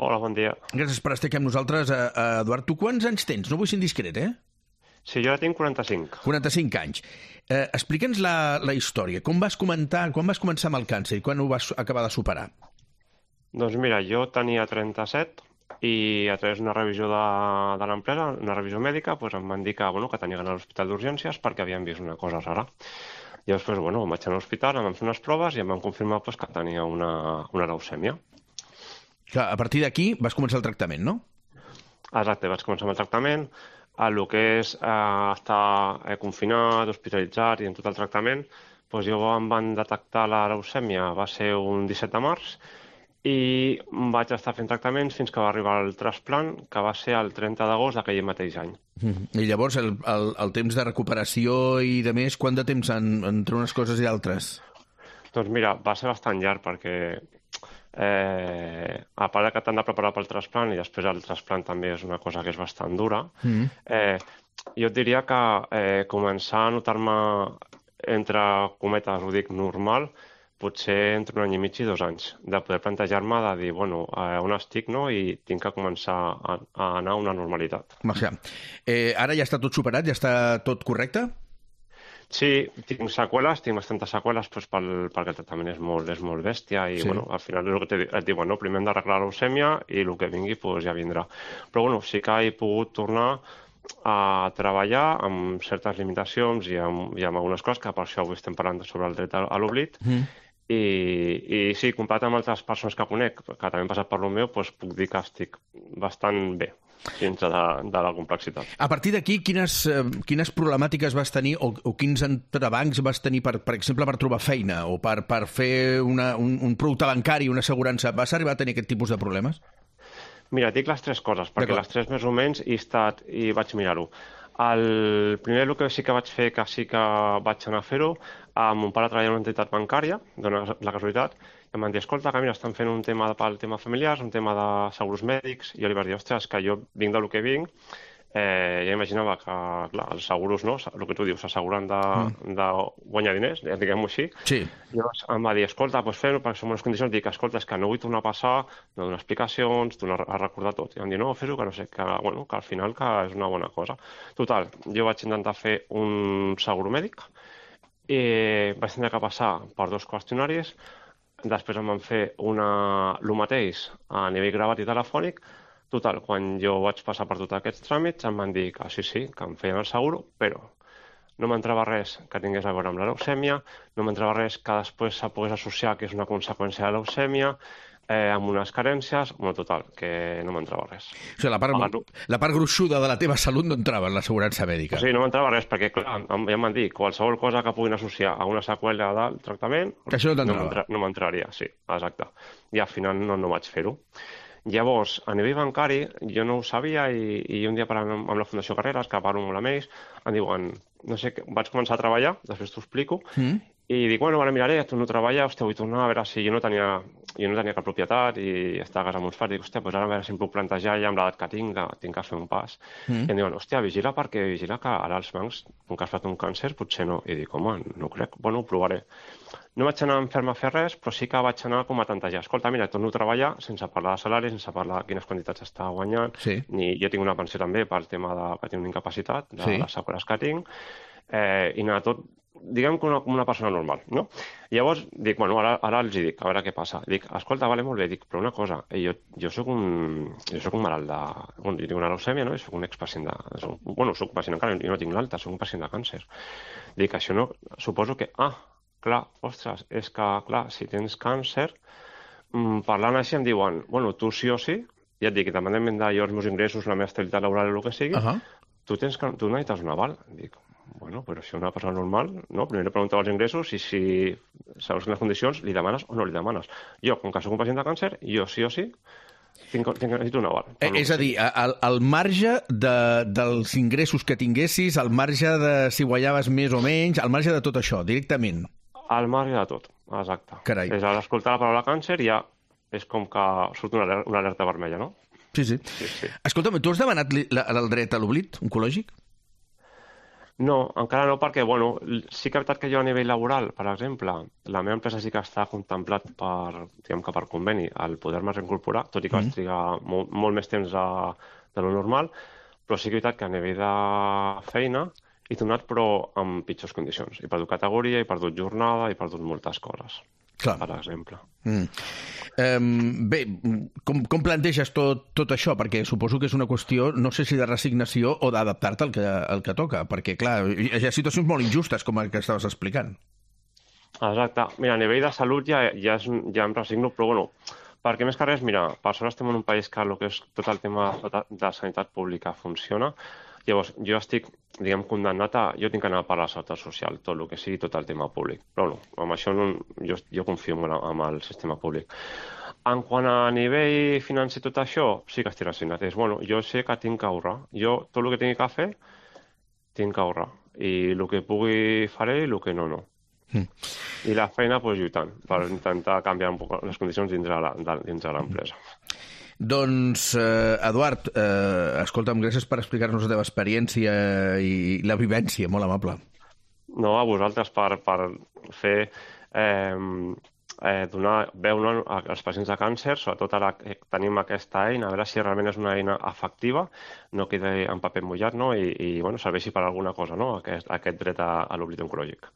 Hola, bon dia. Gràcies per estar aquí amb nosaltres. Eduard, tu quants anys tens? No vull ser indiscret, Sí, jo ja tinc 45. 45 anys. Explica'ns la història. Quan vas començar amb el càncer i quan ho vas acabar de superar? Doncs mira, jo tenia 37 i a través d'una revisió de l'empresa, una revisió mèdica, doncs em van dir que tenia d'anar a l'hospital d'urgències perquè havien vist una cosa rara. I després, em vaig anar a l'hospital, em van fer unes proves i em van confirmar que tenia una leucèmia. Clar, a partir d'aquí vas començar el tractament, no? Exacte, vaig començar amb el tractament. El que és estar confinat, hospitalitzat i en tot el tractament, doncs jo em van detectar la leucèmia, va ser un 17 de març, i vaig estar fent tractaments fins que va arribar el trasplant, que va ser el 30 d'agost d'aquell mateix any. I llavors el temps de recuperació i de més, quant de temps entre unes coses i altres? Doncs mira, va ser bastant llarg perquè a part que t'han de preparar pel trasplant i després el trasplant també és una cosa que és bastant dura, jo et diria que començar a notar-me, entre cometes, ho dic, normal, potser entre 1 any i mig i 2 anys, de poder plantejar-me de dir, on estic, no?, i tinc que començar a anar a una normalitat. Ara ja està tot superat, ja està tot correcte? Sí, tinc seqüeles, tinc bastantes seqüeles perquè el tractament és molt bèstia i al final és el que et diuen, primer hem d'arreglar la leucèmia i el que vingui ja vindrà. Però sí que he pogut tornar a treballar amb certes limitacions i amb algunes coses, que per això avui estem parlant sobre el dret a l'oblit. I sí, comparat amb altres persones que conec, que també han passat per lo meu, puc dir que estic bastant bé dintre de la complexitat. A partir d'aquí, quines problemàtiques vas tenir o quins entrebancs vas tenir, per exemple, per trobar feina o per fer un producte bancari, una assegurança? Vas arribar a tenir aquest tipus de problemes? Mira, dic les 3 coses, perquè les 3 més o menys i vaig mirar-ho. El primer, el que sí que vaig fer, que sí que vaig anar a fer-ho, mon pare treballa en una entitat bancària, dona la casualitat, i em van dir, escolta, que mira, estan fent un tema pel tema familiars, un tema de segurs mèdics, i jo li vaig dir, ostres, que jo vinc del que vinc, ja imaginava que, clar, els seguros, no, el que tu dius, s'asseguren de guanyar diners, diguem-ho així. Sí. Llavors em va dir, escolta, fem-ho, perquè som unes condicions, dic, escolta, és que no vull tornar a passar, no donar explicacions, tornar a recordar tot. I em van dir, no, fes-ho, que no sé, que al final que és una bona cosa. Total, jo vaig intentar fer un segur mèdic, i vaig tenir que passar per 2 qüestionaris, després em van fer el mateix a nivell gravat i telefònic. Total, quan jo vaig passar per tots aquests tràmits em van dir que sí, que em feien el seguro, però no m'entrava res que tingués a veure amb la leucèmia, no m'entrava res que després se pogués associar que és una conseqüència de la leucèmia, amb unes carències, total, que no m'entrava res. O sigui, la part gruixuda de la teva salut no entrava en l'assegurança mèdica. Sí, no m'entrava res, perquè clar, ja em van dir qualsevol cosa que puguin associar a una seqüela del tractament, que això no t'entrava. No m'entraria, sí, exacte. I al final no vaig fer-ho. Llavors, a nivell bancari, jo no ho sabia i un dia parlant amb la Fundació Carreras, que parlo molt amb ells, em diuen, no sé, vaig començar a treballar, després t'ho explico, i dic, ara miraré, tu no treballes, vull tornar a veure si jo no tenia cap propietat i estava a casa amb uns pares, dic, ara a veure si em puc plantejar ja amb l'edat que tinc que fer un pas. I em diuen, vigila que ara els bancs, com que has fet un càncer, potser no. I dic, home, no crec, ho provaré. No vaig anar a fer-me a fer res, però sí que vaig anar com a tantejar. Escolta, mira, torno a treballar sense parlar de salaris, sense parlar de quines quantitats està guanyant. Jo tinc una pensió també pel tema que tinc una incapacitat, de les seqüeles que tinc, i anar tot, diguem com una persona normal, no? Llavors dic, ara els dic, a veure què passa. Dic, escolta, vale, molt bé, dic, però una cosa, jo soc un malalt de... jo tinc una leucèmia, no? I soc un expacient de... soc un pacient encara, jo no tinc l'alta, soc un pacient de càncer. Dic, això no... Suposo que... clar, ostres, és que, clar, si tens càncer, parlant així em diuen, tu sí o sí, ja et dic, independentment de els meus ingressos, la meva estabilitat laboral o el que sigui, tu necessites un aval. Dic, però si una persona normal, no? Primer li pregunteu els ingressos i si segons les condicions li demanes o no li demanes. Jo, com que soc un pacient de càncer, jo sí o sí necessito un aval. És a dir, al marge dels ingressos que tinguessis, al marge de si guanyaves més o menys, al marge de tot això, directament. Al marge de tot, exacte. Carai. És a l'escoltar la paraula càncer ja és com que surt una alerta vermella, no? Sí. Escolta'm, tu has demanat el dret a l'oblit oncològic? No, encara no, perquè bueno, sí que és veritat que jo a nivell laboral, per exemple, la meva empresa sí que està contemplat diguem que per conveni el poder-me reincorporar, tot i que vaig trigar molt més temps de lo normal, però sí que és veritat que a nivell de feina he tornat però en pitjors condicions. He perdut categoria, he perdut jornada, he perdut moltes coses, Clar. per exemple. Bé, com planteges tot això? Perquè suposo que és una qüestió, no sé si de resignació o d'adaptar-te al que toca, perquè, clar, hi ha situacions molt injustes, com el que estaves explicant. Exacte. Mira, a nivell de salut ja em resigno, però bueno, perquè més que res, mira, per sort estem en un país que el que és tot el tema de sanitat pública funciona. Llavors, jo estic, diguem, condemnat a... Jo tinc que anar per la seguretat social, tot el que sigui, tot el tema públic. Però no, amb això no, jo confio en el sistema públic. En quant a nivell financer tot això, sí que estic resignat. Bueno, jo sé que tinc que ahorrar. Jo, tot el que tingui que fer, tinc que ahorrar. I el que pugui faré i el que no, no. I la feina, doncs, lluitant, per intentar canviar un poc les condicions dins de l'empresa. Doncs, Eduard, escolta'm, gràcies per explicar-nos la teva experiència i la vivència, molt amable. No, a vosaltres per fer donar veu als pacients de càncer, sobretot ara que tenim aquesta eina, a veure si realment és una eina efectiva, no quedi en paper mullat, no? I bueno, serveixi per alguna cosa, no? Aquest dret a l'oblit oncològic.